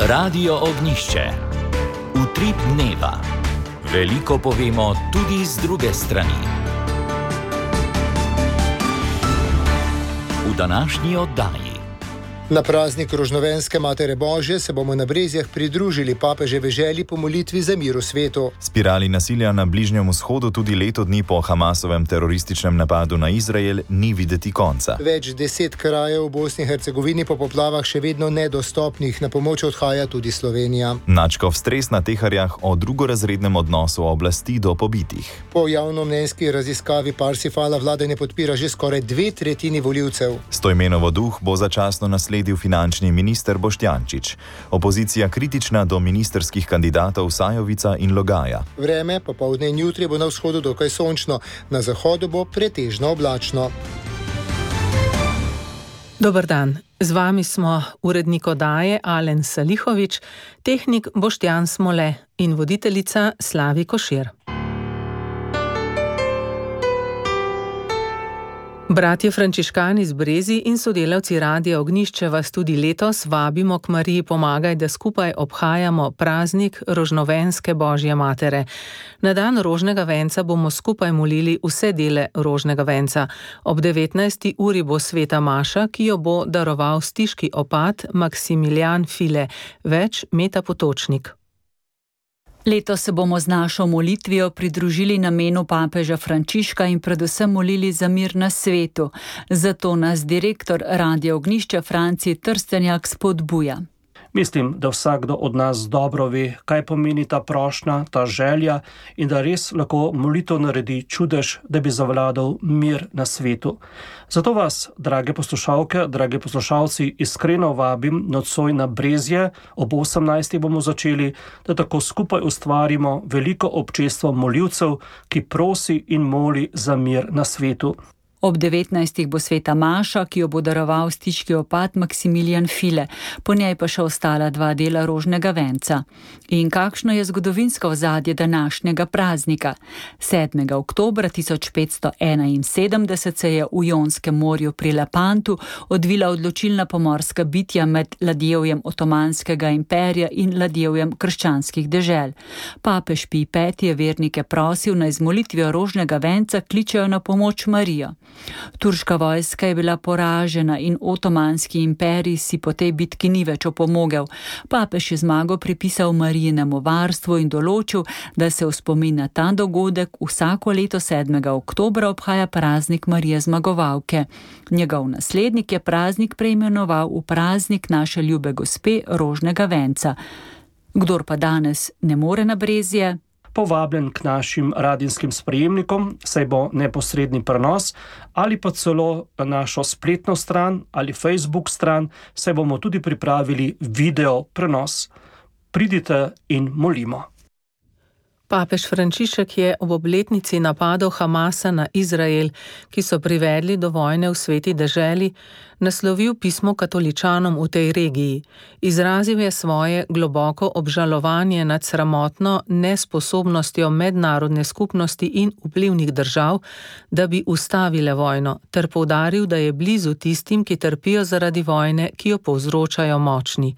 Radio Ognišče. Utrip dneva. Veliko povemo tudi z druge strani. V današnji oddaji. Na praznik Rožnovenske Matere Božje se bomo na Brezjah pridružili papeževi želji po molitvi za mir v svetu. Spirali nasilja na Bližnjem vzhodu tudi leto dni po Hamasovem terorističnem napadu na Izrael ni videti konca. Več 10 krajev v Bosni in Hercegovini po poplavah še vedno nedostopnih, na pomoč odhaja tudi Slovenija. Nadškof stres na Teharjah o drugorazrednem odnosu oblasti do pobitih. Po javnomnenjski raziskavi Parsifala vlada ne podpira že skoraj 2/3 volivcev. Stojmenovo duh bo začasno nasledil finančni minister Boštjančič. Opozicija kritična do ministrskih kandidatov Sajovica in Logaja. Vreme popoldne in jutri bo na vzhodu dokaj sončno, na zahodu bo pretežno oblačno. Dober dan, z vami smo urednik oddaje Alen Salihovič, tehnik Boštjan Smole in voditeljica Slavi Košir. Bratje frančiškani z Brezij in sodelavci Radia Ognišče vas tudi letos vabimo k Mariji Pomagaj, da skupaj obhajamo praznik Rožnovenske Božje Matere. Na dan rožnega venca bomo skupaj molili vse dele rožnega venca. Ob 19. uri bo sveta maša, ki jo bo daroval stiški opat Maksimilijan File, več Meta Potočnik. Letos se bomo z našo molitvijo pridružili namenu papeža Frančiška in predvsem molili za mir na svetu. Zato nas direktor Radia Ognišče Franci Trstenjak spodbuja. Mislim, da vsakdo od nas dobro ve, kaj pomeni ta prošnja, ta želja in da res lahko molitev naredi čudež, da bi zavladal mir na svetu. Zato vas, drage poslušalke, drage poslušalci, iskreno vabim nocoj na Brezje, ob 18. bomo začeli, da tako skupaj ustvarimo veliko občestvo molivcev, ki prosi in moli za mir na svetu. Ob 19. bo sveta maša, ki jo bo daroval stiški opat Maksimilijan File, po njej pa še ostala 2 dela rožnega venca. In kakšno je zgodovinsko ozadje današnjega praznika? 7. oktobra 1571 se je v Jonskem morju pri Lepantu odvila odločilna pomorska bitja med ladjevjem Otomanskega imperija in ladjevjem krščanskih dežel. Papež Pij V je vernike prosil, naj z molitvijo rožnega venca kličejo na pomoč Marijo. Turška vojska je bila poražena in Otomanski imperij si po tej bitki ni več opomogel. Papež je zmago pripisal Marijinemu varstvu in določil, da se v spomin na ta dogodek vsako leto 7. oktobra obhaja praznik Marije Zmagovalke. Njegov naslednik je praznik preimenoval v praznik naše ljube gospe rožnega venca. Kdor pa danes ne more na Brezje, povabljen k našim radijskim sprejemnikom, saj bo neposredni prenos, ali pa celo na našo spletno stran ali Facebook stran, saj bomo tudi pripravili video prenos. Pridite in molimo. Papež Frančišek je ob obletnici napadov Hamasa na Izrael, ki so privedli do vojne v sveti deželi, naslovil pismo katoličanom v tej regiji. Izrazil je svoje globoko obžalovanje nad sramotno nesposobnostjo mednarodne skupnosti in vplivnih držav, da bi ustavile vojno, ter poudaril, da je blizu tistim, ki trpijo zaradi vojne, ki jo povzročajo močni.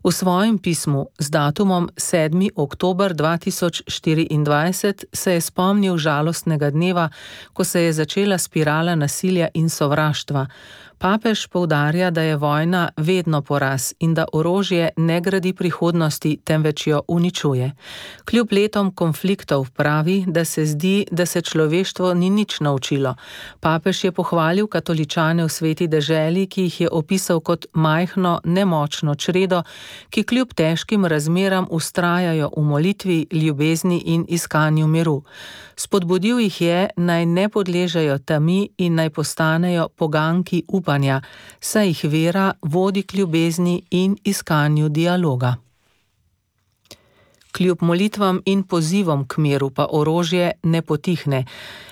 V svojem pismu z datumom 7. oktober 2024 se je spomnil žalostnega dneva, ko se je začela spirala nasilja in sovraštva. Papež poudarja, da je vojna vedno poraz in da orožje ne gradi prihodnosti, temveč jo uničuje. Kljub letom konfliktov pravi, da se zdi, da se človeštvo ni nič naučilo. Papež je pohvalil katoličane v sveti deželi, ki jih je opisal kot majhno, nemočno čredo, ki kljub težkim razmeram vztrajajo v molitvi, ljubezni in iskanju miru. Spodbudil jih je, naj ne podležejo temi in naj postanejo poganki upanja, saj jih vera vodi k ljubezni in iskanju dialoga. Kljub molitvam in pozivom k miru pa orožje ne potihne.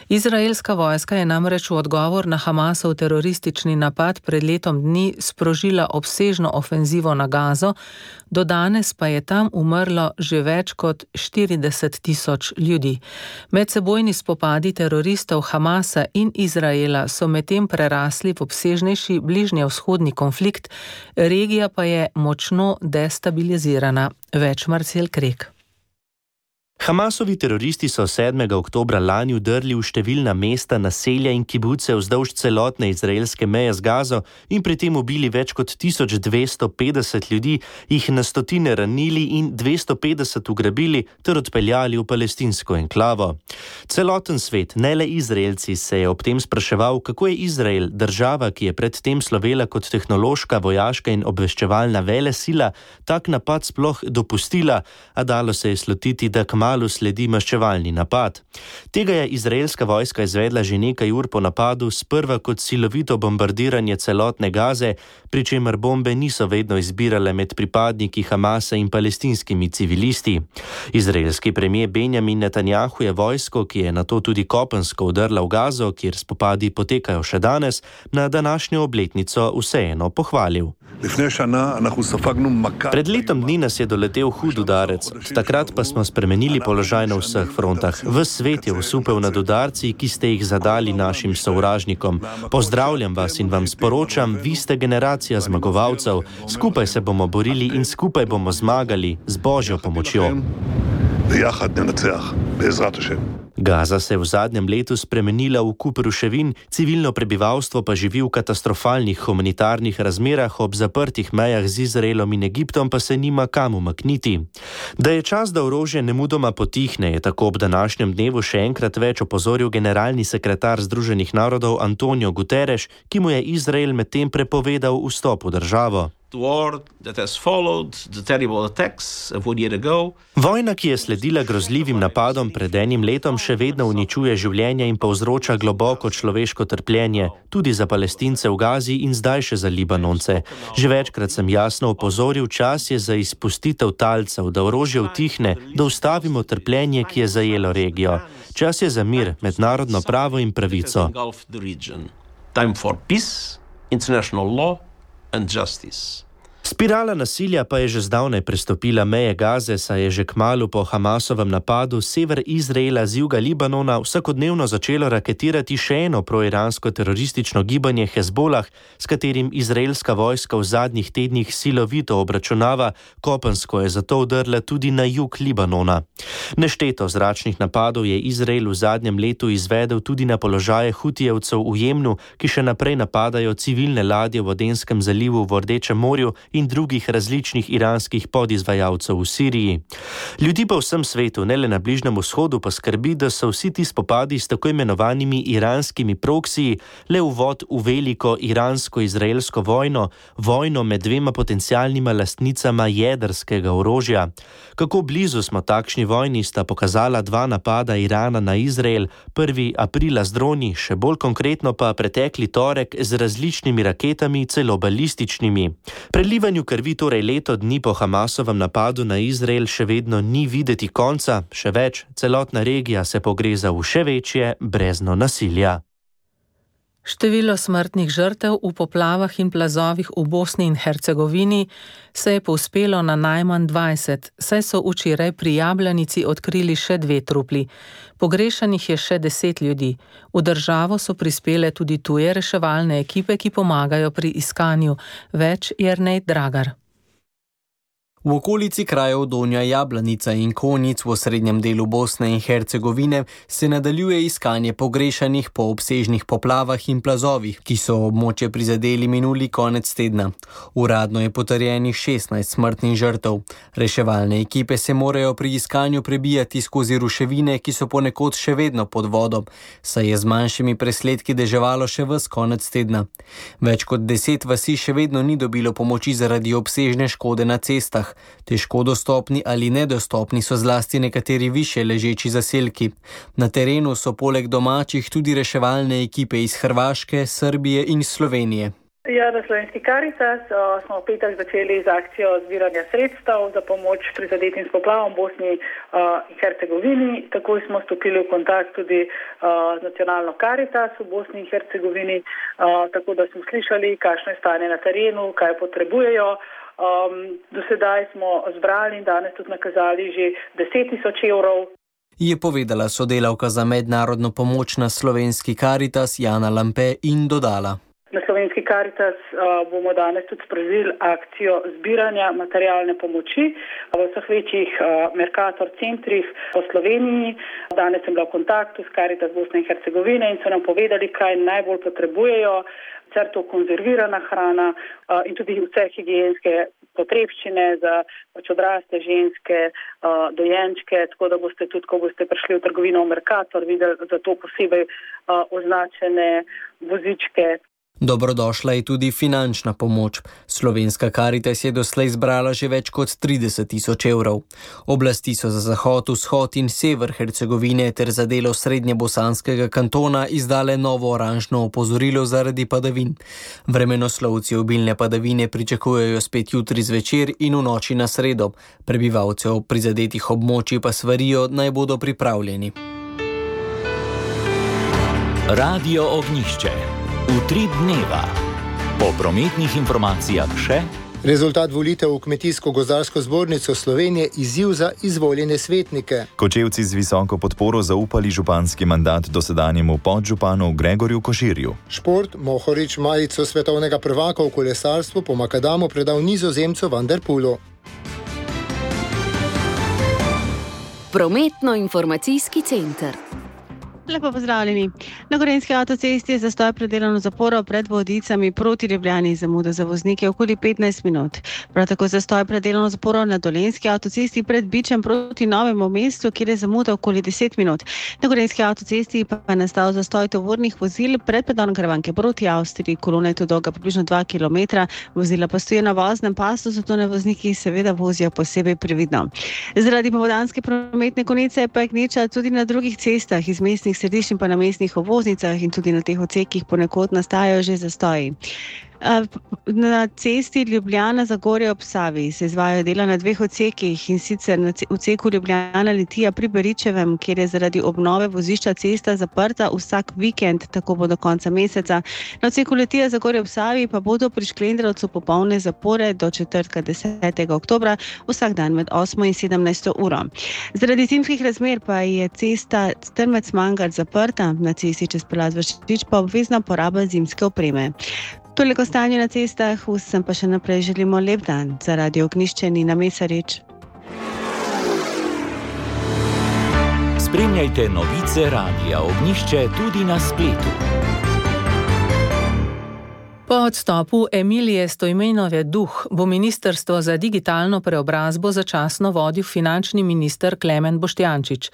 Izraelska vojska je namreč v odgovor na Hamasov teroristični napad pred letom dni sprožila obsežno ofenzivo na Gazo, do danes pa je tam umrlo že več kot 40.000 ljudi. Medsebojni spopadi teroristov Hamasa in Izraela so medtem prerasli v obsežnejši bližnjevzhodni konflikt, regija pa je močno destabilizirana. Več Marcel Krek. Hamasovi teroristi so 7. oktobra lani udrli v številna mesta, naselja in kibuce vzdolž celotne izraelske meje z Gazo in pri tem ubili več kot 1250 ljudi, jih na stotine ranili in 250 ugrabili ter odpeljali v palestinsko enklavo. Celoten svet, ne le Izraelci, se je ob tem spraševal, kako je Izrael, država, ki je predtem slovela kot tehnološka, vojaška in obveščevalna velesila, tak napad sploh dopustila, a dalo se je slutiti, da kmalu sledi maščevalni napad. Tega je izraelska vojska izvedla že nekaj ur po napadu, sprva kot silovito bombardiranje celotne Gaze, pri čemer bombe niso vedno izbirale med pripadniki Hamasa in palestinskimi civilisti. Izraelski premier Benjamin Netanjahu je vojsko, ki je nato tudi kopensko udrla v Gazo, kjer spopadi potekajo še danes, na današnjo obletnico vseeno pohvalil. Pred letom dni nas je doletel hud udarec, takrat pa smo spremenili položaj na vseh frontah. Ves svet je osupel nad udarci, ki ste jih zadali našim sovražnikom. Pozdravljam vas in vam sporočam, vi ste generacija zmagovalcev. Skupaj se bomo borili in skupaj bomo zmagali z Božjo pomočjo. Gaza se je v zadnjem letu spremenila v kup ruševin, civilno prebivalstvo pa živi v katastrofalnih humanitarnih razmerah, ob zaprtih mejah z Izraelom in Egiptom pa se nima kam umakniti. Da je čas, da orožje nemudoma potihne, je tako ob današnjem dnevu še enkrat več opozoril generalni sekretar Združenih narodov Antonio Guterres, ki mu je Izrael medtem prepovedal vstop v državo. Vojna, ki je sledila grozljivim napadom pred enim letom, še vedno uničuje življenje in povzroča globoko človeško trpljenje, tudi za Palestince v Gazi in zdaj še za Libanonce. Že večkrat sem jasno opozoril, čas je za izpustitev talcev, da orožje utihne, da ustavimo trpljenje, ki je zajelo regijo. Čas je za mir, mednarodno pravo in pravico. Time for peace, international law and justice. Spirala nasilja pa je že zdavnaj prestopila meje Gaze, saj je že kmalu po Hamasovem napadu sever Izraela z juga Libanona vsakodnevno začelo raketirati še eno proiransko teroristično gibanje Hezbolah, s katerim izraelska vojska v zadnjih tednih silovito obračunava, kopensko je zato udrla tudi na jug Libanona. Nešteto zračnih napadov je Izrael v zadnjem letu izvedel tudi na položaje Hutijevcev v Jemnu, ki še naprej napadajo civilne ladje v Adenskem zalivu v Rdečem morju in drugih različnih iranskih podizvajalcev v Siriji. Ljudi po vsem svetu, ne le na Bližnjem vzhodu, pa skrbi, da so vsi ti spopadi s tako imenovanimi iranskimi proksiji le uvod v veliko iransko-izraelsko vojno, vojno med dvema potencialnima lastnicama jedrskega orožja. Kako blizu smo takšni vojni, sta pokazala dva napada Irana na Izrael, 1. aprila z droni, še bolj konkretno pa pretekli torek z različnimi raketami, celo balističnimi. Prelivanju krvi torej leto dni po Hamasovem napadu na Izrael še vedno ni videti konca, še več, celotna regija se pogreza v še večje brezno nasilja. Število smrtnih žrtev v poplavah in plazovih v Bosni in Hercegovini se je povzpelo na najmanj 20, saj so včeraj pri Jabljanici odkrili še 2 trupli. Pogrešanih je še 10 ljudi. V državo so prispele tudi tuje reševalne ekipe, ki pomagajo pri iskanju. Več Jernej Dragar. V okolici krajev Donja Jablanica in Konjic v srednjem delu Bosne in Hercegovine se nadaljuje iskanje pogrešanih po obsežnih poplavah in plazovih, ki so območje prizadeli minuli konec tedna. Uradno je potrjenih 16 smrtnih žrtev. Reševalne ekipe se morajo pri iskanju prebijati skozi ruševine, ki so ponekod še vedno pod vodo, saj je z manjšimi presledki deževalo še ves konec tedna. Več kot 10 vasi še vedno ni dobilo pomoči zaradi obsežne škode na cestah. Težko dostopni ali nedostopni so zlasti nekateri višje ležeči zaselki. Na terenu so poleg domačih tudi reševalne ekipe iz Hrvaške, Srbije in Slovenije. Ja, na Slovenski Karitas smo v petek začeli z akcijo zbiranja sredstev za pomoč prizadetim s poplavom v Bosni in Hercegovini. Takoj smo stopili v kontakt tudi z nacionalno Karitas v Bosni in Hercegovini, tako da smo slišali, kakšno je stanje na terenu, kaj potrebujejo. Do sedaj smo zbrali in danes tudi nakazali že 10 000 evrov. Je povedala sodelavka za mednarodno pomoč na Slovenski Karitas Jana Lampe in dodala. Na Slovenski Karitas bomo danes tudi sprožili akcijo zbiranja materialne pomoči v vseh večjih Mercator centrih po Sloveniji. Danes sem bila v kontaktu s Karitas Bosne in Hercegovine in so nam povedali, kaj najbolj potrebujejo. Sicer to konzervirana hrana in tudi vse higienske potrebščine za odrasle ženske, dojenčke, tako da boste tudi, ko boste prišli v trgovino v Mercator, videli za to posebej označene vozičke. Dobrodošla je tudi finančna pomoč. Slovenska Karitas je doslej zbrala že več kot 30 000 evrov. Oblasti so za zahod, vzhod in sever Hercegovine ter za delo srednjebosanskega kantona izdale novo oranžno opozorilo zaradi padavin. Vremenoslovci obilne padavine pričakujejo spet jutri zvečer in v noči na sredo. Prebivalcev prizadetih območij pa svarijo, naj bodo pripravljeni. Radio Ognjišče. Utrip dneva. Po prometnih informacijah še. Rezultat volitev v Kmetijsko-gozdarsko zbornico Slovenije izziv za izvoljene svetnike. Kočevci z visoko podporo zaupali županski mandat dosedanjemu podžupanu Gregorju Koširju. Šport Mohorič majico svetovnega prvaka v kolesarstvu po Makadamu predal Nizozemcu Van der Poelu. Prometno-informacijski center. Lepo pozdravljeni. Na Gorenjski avtocesti je zastoj pred delovno zaporo pred Vodicami proti Ljubljani, zamuda za voznike okoli 15 minut. Prav tako zastoj pred delovno zaporo na Dolenjski avtocesti pred Bičem proti Novemu mestu, kjer je zamuda okoli 10 minut. Na Gorenjski avtocesti pa je nastal zastoj tovornih vozil pred predalom Karavanke proti Avstriji. Kolona je tu dolga približno 2 km, vozila pa stojijo na voznem pasu, zato ne vozniki seveda vozijo posebej previdno. Zaradi popoldanske prometne konice pa je gneča tudi na drugih cestah iz mestnih središč in pa na mestnih obvoznicah in tudi na teh odsekih ponekod nastajajo že zastoji. Na cesti Ljubljana-Zagorje ob Savi se izvajajo dela na 2 odsekih in sicer na odseku Ljubljana-Litija pri Beričevem, kjer je zaradi obnove vozišča cesta zaprta vsak vikend, tako bo do konca meseca. Na odseku Litija-Zagorje ob Savi pa bodo pri Šklendrovcu popolne zapore do četrtka 10. oktobra, vsak dan med 8 in 17 uro. Zaradi zimskih razmer pa je cesta Strmec-Mangart zaprta, na cesti čez Pelaz Vršič pa obvezna poraba zimske opreme. Toliko stanje na cestah, vsem pa še naprej želimo lep dan. Za Radio Ognjišče Nina Mesarič. Spremljajte novice Radia Ognjišče tudi na spletu. Po odstopu Emilije Stojmenove Duh bo Ministrstvo za digitalno preobrazbo začasno vodil finančni minister Klemen Boštjančič.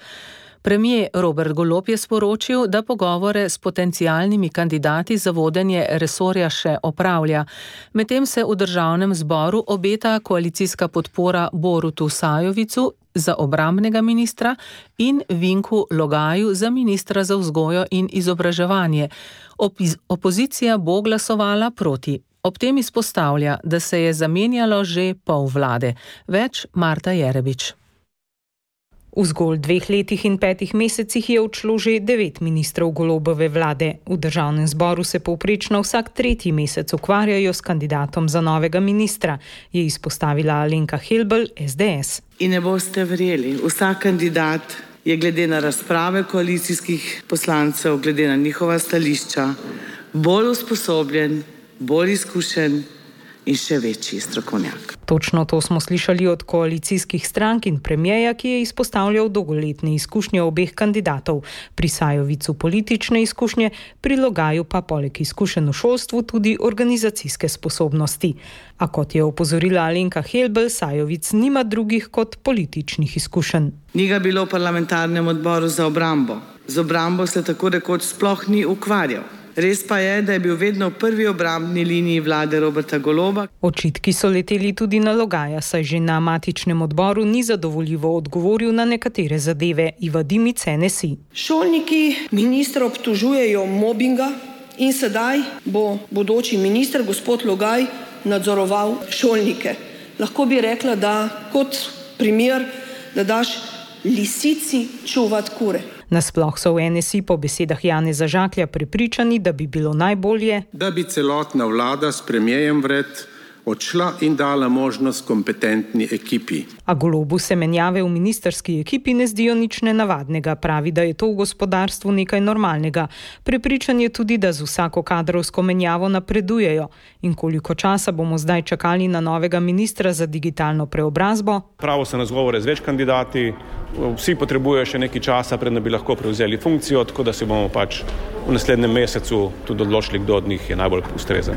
Premier Robert Golob je sporočil, da pogovore s potencialnimi kandidati za vodenje resorja še opravlja. Medtem se v državnem zboru obeta koalicijska podpora Borutu Sajovicu za obrambnega ministra in Vinku Logaju za ministra za vzgojo in izobraževanje. Opozicija bo glasovala proti. Ob tem izpostavlja, da se je zamenjalo že pol vlade. Več Marta Jerebič. V zgolj 2 letih in 5 mesecih je odšlo že 9 ministrov Golobove vlade. V državnem zboru se povprečno vsak 3. mesec ukvarjajo s kandidatom za novega ministra, je izpostavila Alenka Helbl, SDS. In ne boste verjeli, vsak kandidat je glede na razprave koalicijskih poslancev, glede na njihova stališča, bolj usposobljen, bolj izkušen in še večji strokovnjak. Točno to smo slišali od koalicijskih strank in premierja, ki je izpostavljal dolgoletne izkušnje obeh kandidatov. Pri Sajovicu politične izkušnje, pri Logaju pa poleg izkušenj v šolstvu tudi organizacijske sposobnosti. A kot je opozorila Alenka Helbl, Sajovic nima drugih kot političnih izkušenj. Ni ga bilo v parlamentarnem odboru za obrambo. Z obrambo se tako rekoč sploh ni ukvarjal. Res pa je, da je bil vedno v prvi obrambni liniji vlade Roberta Goloba. Očitki so leteli tudi na Logaja, saj že na matičnem odboru ni zadovoljivo odgovoril na nekatere zadeve. Iva Dimic, NSI. Šolniki ministra obtožujejo mobinga, in sedaj bo bodoči minister, gospod Logaj, nadzoroval šolnike. Lahko bi rekla, da kot primer, da daš lisici čuvati kure. Nasploh so v NSI po besedah Janeza Žaklja prepričani, da bi bilo najbolje, da bi celotna vlada s premierjem vred odšla in dala možnost kompetentni ekipi. A Golobu se menjave v ministerski ekipi ne zdijo nič nenavadnega. Pravi, da je to v gospodarstvu nekaj normalnega. Prepričan je tudi, da z vsako kadrovsko menjavo napredujejo. In koliko časa bomo zdaj čakali na novega ministra za digitalno preobrazbo? Pravo se razgovore z več kandidati, vsi potrebujejo še nekaj časa, preden bi lahko prevzeli funkcijo, tako da se bomo pač v naslednjem mesecu tudi odločili, kdo od njih je najbolj ustrezen.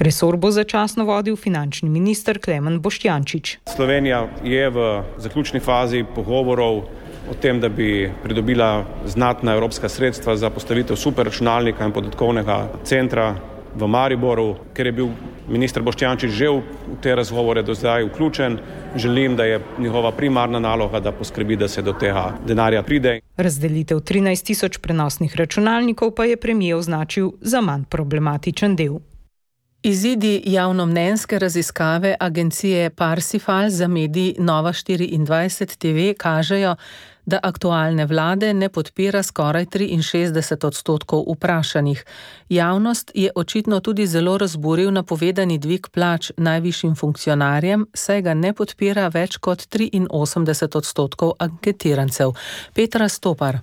Resor bo začasno vodil finančni minister Klemen Boštjančič. Slovenija je v zaključni fazi pogovorov o tem, da bi pridobila znatna evropska sredstva za postavitev superračunalnika in podatkovnega centra v Mariboru. Ker je bil minister Boštjančič že v te razgovore do zdaj vključen, želim, da je njegova primarna naloga, da poskrbi, da se do tega denarja pride. Razdelitev 13.000 prenosnih računalnikov pa je premier označil za manj problematičen del. Izidi javnomnenjske raziskave agencije Parsifal za medij Nova24 TV kažejo, da aktualne vlade ne podpira skoraj 63% vprašanih. Javnost je očitno tudi zelo razburil napovedani dvig plač najvišjim funkcionarjem, saj ga ne podpira več kot 83% anketirancev. Petra Stopar.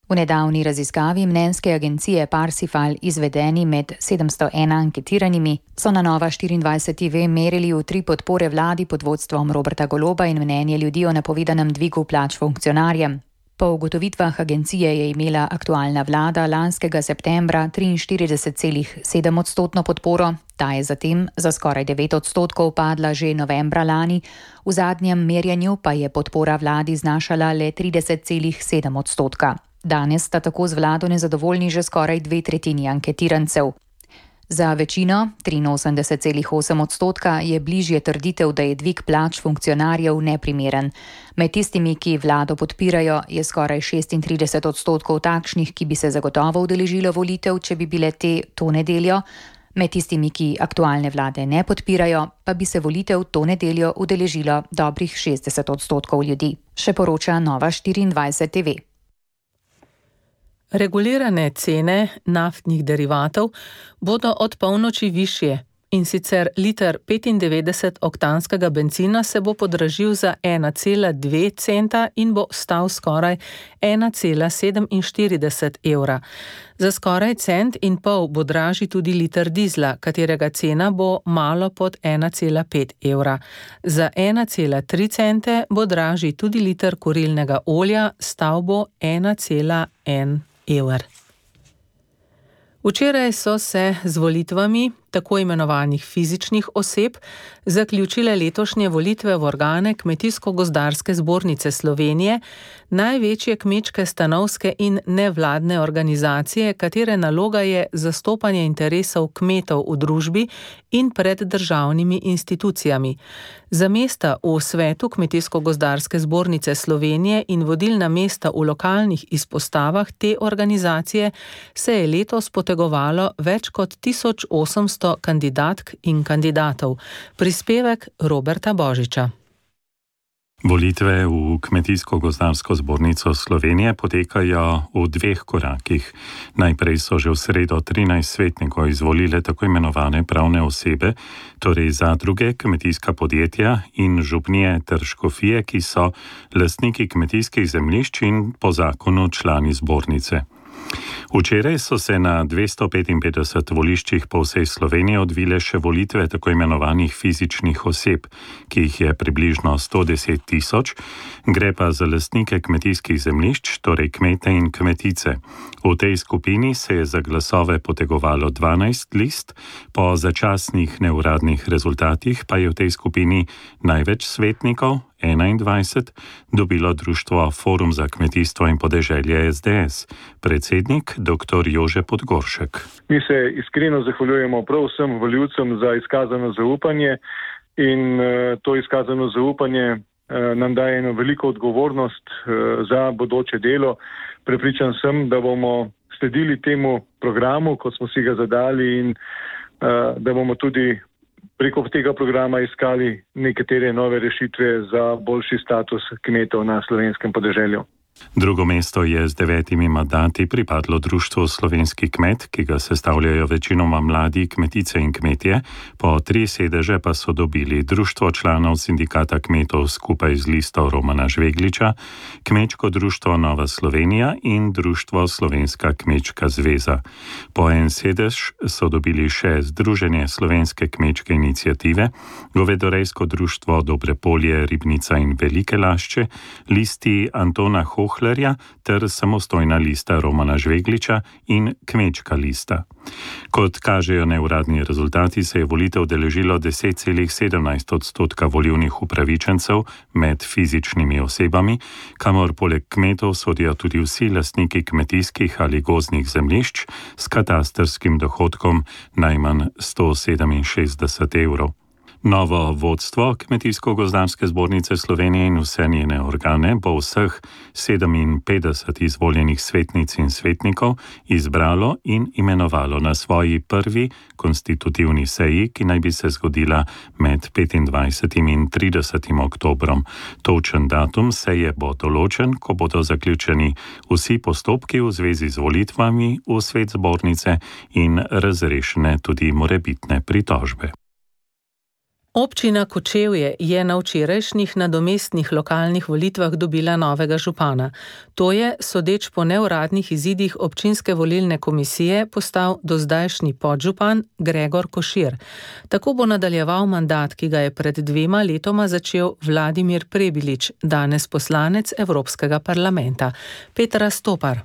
V nedavni raziskavi mnenjske agencije Parsifal, izvedeni med 701 anketiranimi, so na Nova24 TV merili v 3 podpore vladi pod vodstvom Roberta Goloba in mnenje ljudi o napovedanem dvigu plač funkcionarjem. Po ugotovitvah agencije je imela aktualna vlada lanskega septembra 43,7% podporo, ta je zatem za skoraj 9% padla že novembra lani, v zadnjem merjenju pa je podpora vladi znašala le 30,7%. Danes sta tako z vlado nezadovoljni že skoraj 2/3 anketirancev. Za večino, 83,8%, je bližje trditev, da je dvig plač funkcionarjev neprimeren. Med tistimi, ki vlado podpirajo, je skoraj 36% takšnih, ki bi se zagotovo udeležilo volitev, če bi bile te to nedeljo. Med tistimi, ki aktualne vlade ne podpirajo, pa bi se volitev to nedeljo udeležilo dobrih 60% ljudi. Še poroča Nova24 TV. Regulirane cene naftnih derivatov bodo od polnoči višje, in sicer liter 95-oktanskega bencina se bo podražil za 1,2 centa in bo stal skoraj 1,47 evra. Za skoraj 1,5 centa bo dražji tudi liter dizla, katerega cena bo malo pod 1,5 evra. Za 1,3 cente bo dražji tudi liter kurilnega olja, stal bo 1,1 evra. Včeraj so se z volitvami tako imenovanih fizičnih oseb zaključile letošnje volitve v organe Kmetijsko-gozdarske zbornice Slovenije, največje kmečke stanovske in nevladne organizacije, katere naloga je zastopanje interesov kmetov v družbi in pred državnimi institucijami. Za mesta v svetu Kmetijsko-gozdarske zbornice Slovenije in vodilna mesta v lokalnih izpostavah te organizacije se je letos potegovalo več kot 1800 kandidatk in kandidatov. Prispevek Roberta Božiča. Volitve v Kmetijsko-gozdarsko zbornico Slovenije potekajo v 2 korakih. Najprej so že v sredo 13 svetnikov izvolile tako imenovane pravne osebe, torej zadruge, kmetijska podjetja in župnije ter škofije, ki so lastniki kmetijskih zemljišč in po zakonu člani zbornice. Včeraj so se na 255 voliščih po vsej Sloveniji odvile še volitve tako imenovanih fizičnih oseb, ki jih je približno 110 000, gre pa za lastnike kmetijskih zemljišč, torej kmete in kmetice. V tej skupini se je za glasove potegovalo 12 list, po začasnih neuradnih rezultatih pa je v tej skupini največ svetnikov, 21, dobilo društvo Forum za kmetijstvo in podeželje SDS, predsednik dr. Jože Podgoršek. Mi se iskreno zahvaljujemo prav vsem volivcem za izkazano zaupanje in to izkazano zaupanje nam daje eno veliko odgovornost za bodoče delo. Prepričan sem, da bomo sledili temu programu, kot smo si ga zadali in da bomo tudi preko tega programa iskali nekatere nove rešitve za boljši status kmetov na slovenskem podeželju. Drugo mesto je z 9 mandati pripadlo Društvu Slovenski kmet, ki ga sestavljajo večinoma mladi kmetice in kmetje, po 3 sedeže pa so dobili Društvo članov sindikata kmetov skupaj z listo Romana Žvegliča, Kmečko društvo Nova Slovenija in Društvo Slovenska kmečka zveza. Po en sedež so dobili še Združenje Slovenske kmečke iniciative, Govedorejsko društvo Dobre polje, Ribnica in Velike Lašče, listi Antona Hohlerja ter samostojna lista Romana Žvegliča in Kmečka lista. Kot kažejo neuradni rezultati, se je volitev udeležilo 10,17% volilnih upravičencev med fizičnimi osebami, kamor poleg kmetov sodijo tudi vsi lastniki kmetijskih ali gozdnih zemljišč s katastrskim dohodkom najmanj 167 evrov. Novo vodstvo Kmetijsko-gozdarske zbornice Slovenije in vse njene organe bo vseh 57 izvoljenih svetnic in svetnikov izbralo in imenovalo na svoji prvi konstitutivni seji, ki naj bi se zgodila med 25. in 30. oktobrom. Točen datum seje bo določen, ko bodo zaključeni vsi postopki v zvezi z volitvami v svet zbornice in razrešene tudi morebitne pritožbe. Občina Kočevje je na včerajšnjih nadomestnih lokalnih volitvah dobila novega župana. To je, sodeč po neuradnih izidih občinske volilne komisije, postal dozdajšnji podžupan Gregor Košir. Tako bo nadaljeval mandat, ki ga je pred 2 letoma začel Vladimir Prebilič, danes poslanec Evropskega parlamenta. Petra Stopar.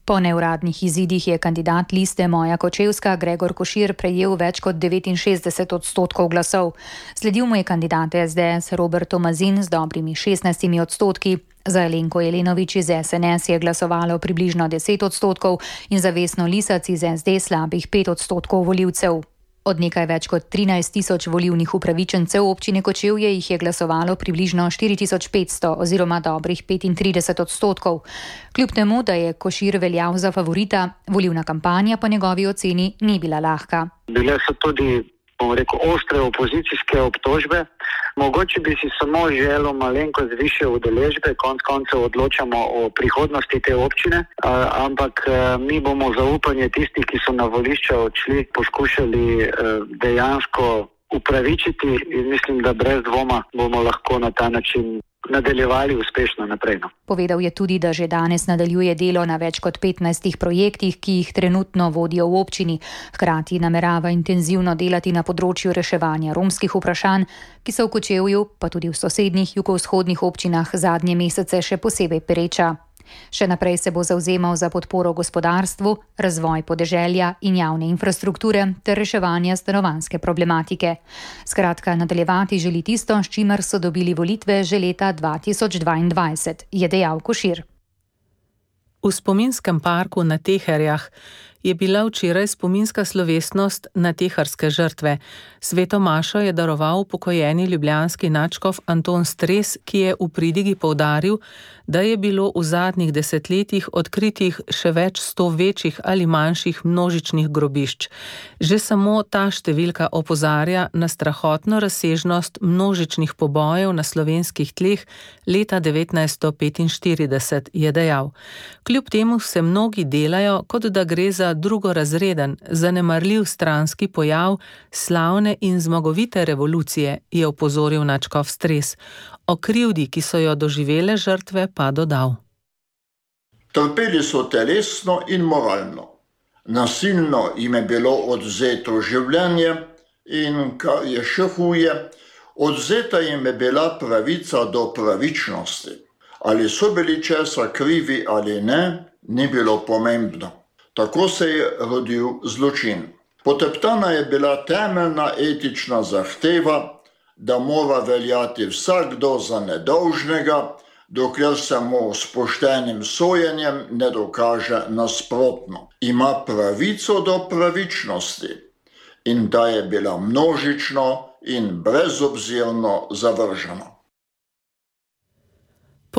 Po neuradnih izidih je kandidat liste Moja Kočevska Gregor Košir prejel več kot 69% glasov. Sledil mu je kandidat SDS Robert Tomazin z dobrimi 16%. Za Alenko Jelenovič iz SNS je glasovalo približno 10% in za Vesno Lisac iz SD slabih 5% volivcev. Od nekaj več kot 13 000 volivnih upravičencev občine Kočevje jih je glasovalo približno 4500 oziroma dobrih 35%. Kljub temu, da je Košir veljal za favorita, volilna kampanja po njegovi oceni ni bila lahka. Bile so tudi, ostre opozicijske obtožbe. Mogoče bi si samo želel malenkost više udeležbe, konec koncev odločamo o prihodnosti te občine, ampak mi bomo zaupanje tistih, ki so na volišča odšli, poskušali dejansko upravičiti in mislim, da brez dvoma bomo lahko na ta način nadaljevali uspešno naprej. Povedal je tudi, da že danes nadaljuje delo na več kot 15 projektih, ki jih trenutno vodijo v občini. Hkrati namerava intenzivno delati na področju reševanja romskih vprašanj, ki so v Kočevju, pa tudi v sosednjih jugovzhodnih občinah zadnje mesece še posebej pereča. Še naprej se bo zavzemal za podporo gospodarstvu, razvoj podeželja in javne infrastrukture ter reševanje stanovanjske problematike. Skratka, nadaljevati želi tisto, s čimer so dobili volitve že leta 2022, je dejal Košir. V spominskem parku na Teherjah je bila včeraj spominska slovesnost na teharske žrtve. Sveto mašo je daroval upokojeni ljubljanski nadškof Anton Stres, ki je v pridigi poudaril, da je bilo v zadnjih desetletjih odkritih še več 100 večjih ali manjših množičnih grobišč. Že samo ta številka opozarja na strahotno razsežnost množičnih pobojev na slovenskih tleh leta 1945, je dejal. Kljub temu se mnogi delajo, kot da gre za drugorazreden, zanemarljiv stranski pojav slavne in zmagovite revolucije, je opozoril nadškof Stres. O krivdi, ki so jo doživele žrtve, pa dodal. Trpeli so telesno in moralno. Nasilno jim je bilo odvzeto življenje in, kar je še huje, odvzeta jim je bila pravica do pravičnosti. Ali so bili česa krivi ali ne, ni bilo pomembno. Tako se je rodil zločin. Poteptana je bila temeljna etična zahteva, da mora veljati vsakdo za nedolžnega, dokler se mu s poštenim sojenjem ne dokaže nasprotno. Ima pravico do pravičnosti in da je bila množično in brezobzirno zavržena.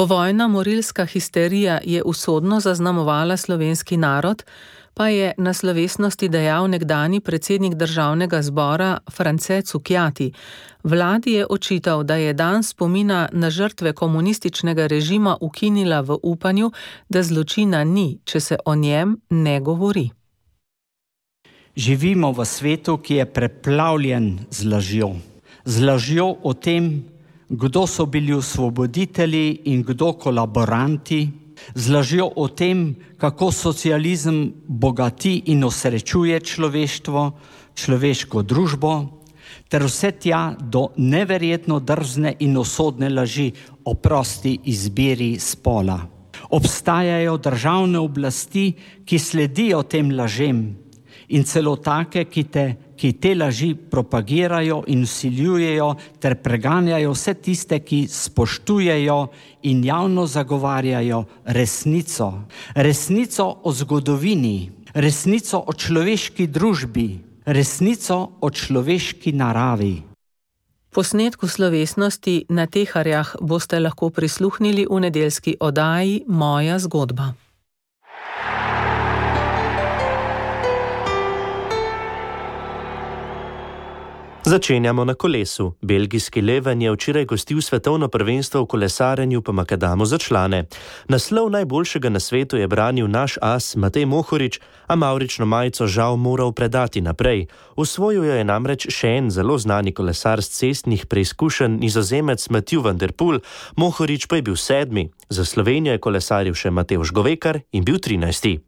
Povojna morilska histerija je usodno zaznamovala slovenski narod, pa je na slovesnosti dejal nekdanji predsednik Državnega zbora France Cukjati. Vladi je očital, da je dan spomina na žrtve komunističnega režima ukinila v upanju, da zločina ni, če se o njem ne govori. Živimo v svetu, ki je preplavljen z lažjo. Z lažjo o tem, kdo so bili osvoboditelji in kdo kolaboranti, z lažjo o tem, kako socializem bogati in osrečuje človeštvo, človeško družbo, ter vse tja do neverjetno drzne in usodne laži o prosti izbiri spola. Obstajajo državne oblasti, ki sledijo tem lažem in celo take, ki te laži propagirajo in vsiljujejo ter preganjajo vse tiste, ki spoštujejo in javno zagovarjajo resnico. Resnico o zgodovini, resnico o človeški družbi, resnico o človeški naravi. Posnetku slovesnosti na Teharjah boste lahko prisluhnili v nedeljski oddaji Moja zgodba. Začenjamo na kolesu. Belgijski Leven je včeraj gostil svetovno prvenstvo v kolesarjenju po makadamu za člane. Naslov najboljšega na svetu je branil naš as Matej Mohorič, a mavrično majico žal moral predati naprej. Osvojil jo je namreč še en zelo znani kolesar z cestnih preizkušenj, Nizozemec Mathieu van der Poel, Mohorič pa je bil 7. Za Slovenijo je kolesaril še Matevž Govekar in bil 13.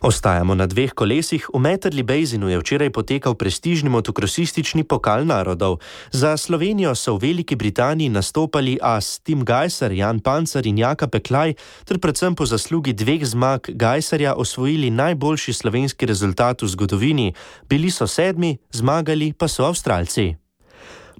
Ostajamo na 2 kolesih. V Metterley Basinu je včeraj potekal prestižni motokrosistični pokal narodov. Za Slovenijo so v Veliki Britaniji nastopali as Tim Gajser, Jan Pancer in Jaka Peklaj, ter predvsem po zaslugi 2 zmag Gajserja osvojili najboljši slovenski rezultat v zgodovini. Bili so 7, zmagali pa so Avstralci.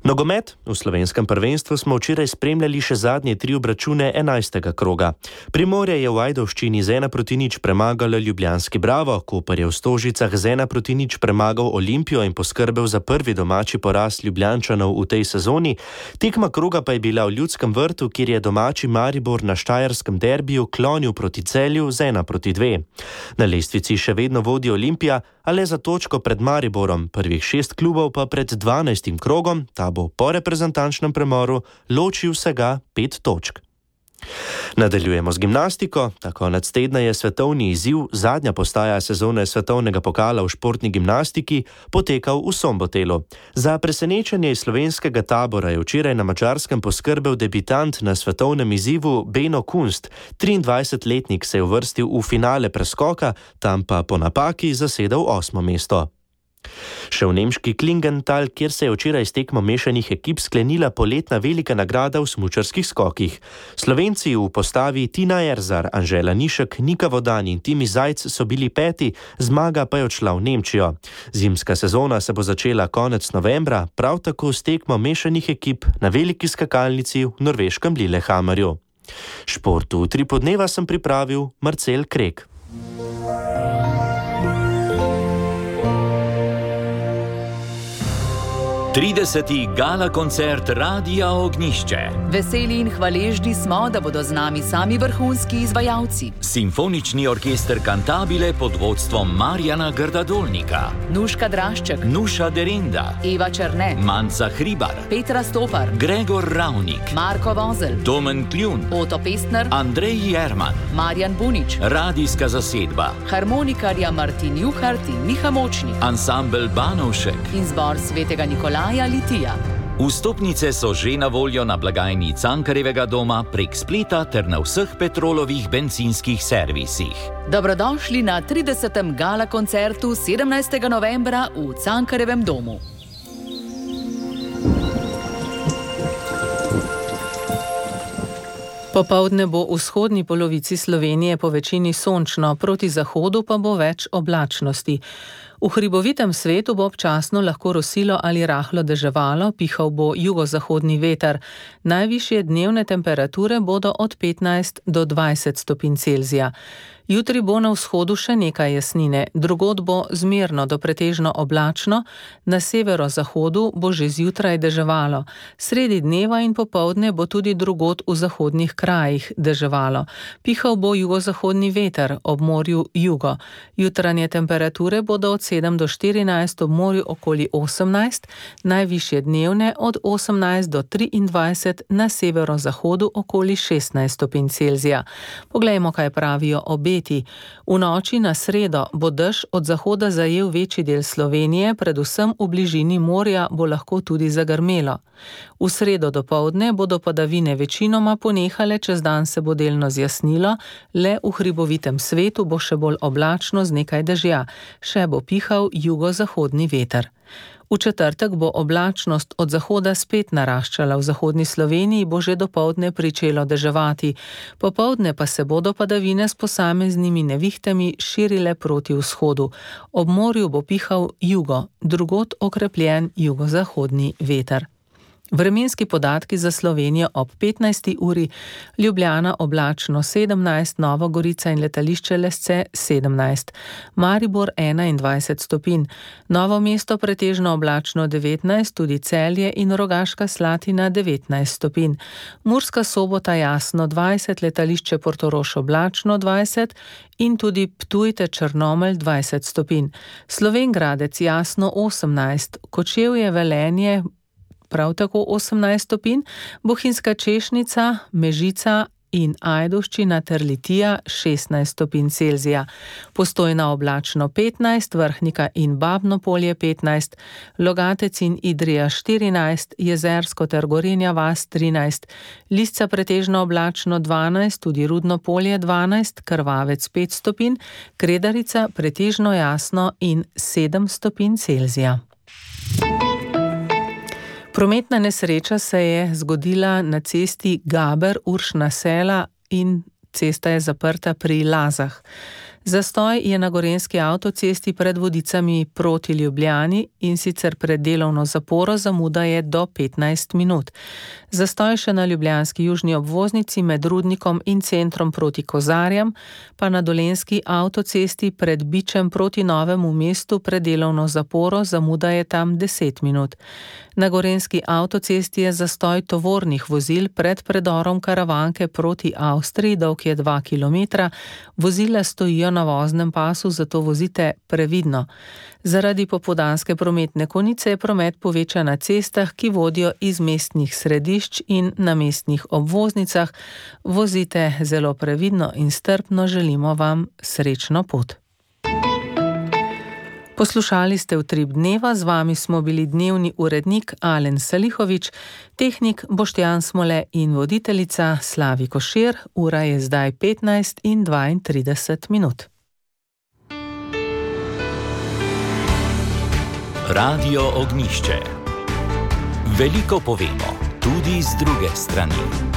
Nogomet. V slovenskem prvenstvu smo včeraj spremljali še zadnje 3 obračune 11. kroga. Primorje je v Ajdovščini z 1-0 premagalo ljubljanski Bravo, Koper je v Stožicah z 1-0 premagal Olimpijo in poskrbel za prvi domači poraz Ljubljančanov v tej sezoni. Tekma kroga pa je bila v Ljudskem vrtu, kjer je domači Maribor na štajerskem derbiju klonil proti Celju z 1-2. Na lestvici še vedno vodi Olimpija, a le za točko pred Mariborom, prvih 6 klubov pa pred 12. krogom, ta bo po reprezentančnem premoru ločil vsega 5 točk. Nadaljujemo z gimnastiko. Ta konec tedna je svetovni izziv, zadnja postaja sezone svetovnega pokala v športni gimnastiki, potekal v Sombotelu. Za presenečenje iz slovenskega tabora je včeraj na Madžarskem poskrbel debitant na svetovnem izzivu Beno Kunst. 23-letnik se je uvrstil v finale preskoka, tam pa po napaki zasedel 8. mesto. Še v nemški Klingenthal, kjer se je včeraj s tekmo mešanih ekip sklenila poletna velika nagrada v smučarskih skokih. Slovenci v postavi Tina Erzar, Anžela Nišek, Nika Vodan in Timi Zajc so bili 5, zmaga pa je odšla v Nemčijo. Zimska sezona se bo začela konec novembra, prav tako s tekmo mešanih ekip na veliki skakalnici v norveškem Lillehammerju. Športu 3 podneva sem pripravil Marcel Krek. Trideseti gala koncert Radia Ognjišče. Veseli in hvaležni smo, da bodo z nami sami vrhunski izvajalci. Simfonični orkester Cantabile pod vodstvom Marjana Grda-Dolnika. Nuška Drašček, Nuša Derinda, Eva Černe, Manca Hribar, Petra Stopar, Gregor Ravnik, Marko Vozel, Domen Kljun, Oto Pestner, Andrej Jerman, Marjan Bunič, radijska zasedba, harmonikarja Martin Juhart in Miha Močnik, ansambel Banovšek in zbor Svetega Nikolaja Litija. Vstopnice so že na voljo na blagajni Cankarjevega doma, prek spleta ter na vseh Petrolovih bencinskih servisih. Dobrodošli na 30. gala koncertu 17. novembra v Cankarjevem domu. Popoldne bo v vzhodni polovici Slovenije po večini sončno, proti zahodu pa bo več oblačnosti. V hribovitem svetu bo občasno lahko rosilo ali rahlo deževalo, pihal bo jugozahodni veter. Najvišje dnevne temperature bodo od 15 do 20 stopinj Celzija. Jutri bo na vzhodu še nekaj jasnine, drugod bo zmerno do pretežno oblačno, na severozahodu bo že zjutraj deževalo. Sredi dneva in popoldne bo tudi drugod v zahodnih krajih deževalo. Pihal bo jugozahodni veter, ob morju jugo. Jutranje temperature bodo od 7 do 14, ob morju okoli 18, najvišje dnevne od 18 do 23, na severozahodu okoli 16 stopinj Celzija. Poglejmo, kaj pravijo obeti. V noči na sredo bo dež od zahoda zajel večji del Slovenije, predvsem v bližini morja bo lahko tudi zagrmelo. V sredo dopoldne bodo padavine večinoma ponehale, čez dan se bo delno zjasnilo, le v hribovitem svetu bo še bolj oblačno z nekaj dežja, še bo pihal jugozahodni veter. V četrtek bo oblačnost od zahoda spet naraščala, v zahodni Sloveniji bo že dopoldne pričelo deževati, popoldne pa se bodo padavine s posameznimi nevihtami širile proti vzhodu. Ob morju bo pihal jugo, drugod okrepljen jugozahodni veter. Vremenski podatki za Slovenijo ob 15. uri, Ljubljana oblačno 17, Nova Gorica in letališče Lesce 17, Maribor 21 stopinj, Novo mesto pretežno oblačno 19, tudi Celje in Rogaška Slatina 19 stopinj, Murska Sobota jasno 20, letališče Portorož oblačno 20 in tudi Ptujte Črnomelj 20 stopinj, Slovenj Gradec jasno 18, Kočevje Velenje prav tako 18 stopinj, Bohinjska Češnica, Mežica in Ajdovščina ter Litija 16 stopinj Celzija. Postojna oblačno 15, Vrhnika in Babno Polje 15, Logatec in Idrija 14, Jezersko ter Gorenja vas 13, Lisca pretežno oblačno 12, tudi Rudno Polje 12, Krvavec 5 stopinj, Kredarica pretežno jasno in 7 stopinj Celzija. Prometna nesreča se je zgodila na cesti Gaber-Uršna Sela in cesta je zaprta pri Lazah. Zastoj je na gorenjski avtocesti pred Vodicami proti Ljubljani in sicer pred delovno zaporo, zamuda je do 15 minut. Zastoj še na ljubljanski južni obvoznici med Rudnikom in centrom proti Kozarjam, pa na dolenjski avtocesti pred Bičem proti Novemu mestu pred delovno zaporo, zamuda je tam 10 minut. Na gorenjski avtocesti je zastoj tovornih vozil pred predorom Karavanke proti Avstriji, dolg je 2 km, vozila stojijo na voznem pasu, zato vozite previdno. Zaradi popoldanske prometne konice je promet povečan na cestah, ki vodijo iz mestnih središč in na mestnih obvoznicah. Vozite zelo previdno in strpno, želimo vam srečno pot. Poslušali ste Utrip dneva, z vami smo bili dnevni urednik Alen Salihovič, tehnik Boštjan Smole in voditeljica Slavi Košir. Ura je zdaj 15 in 32 minut. Radio Ognjišče. Veliko povemo, tudi z druge strani.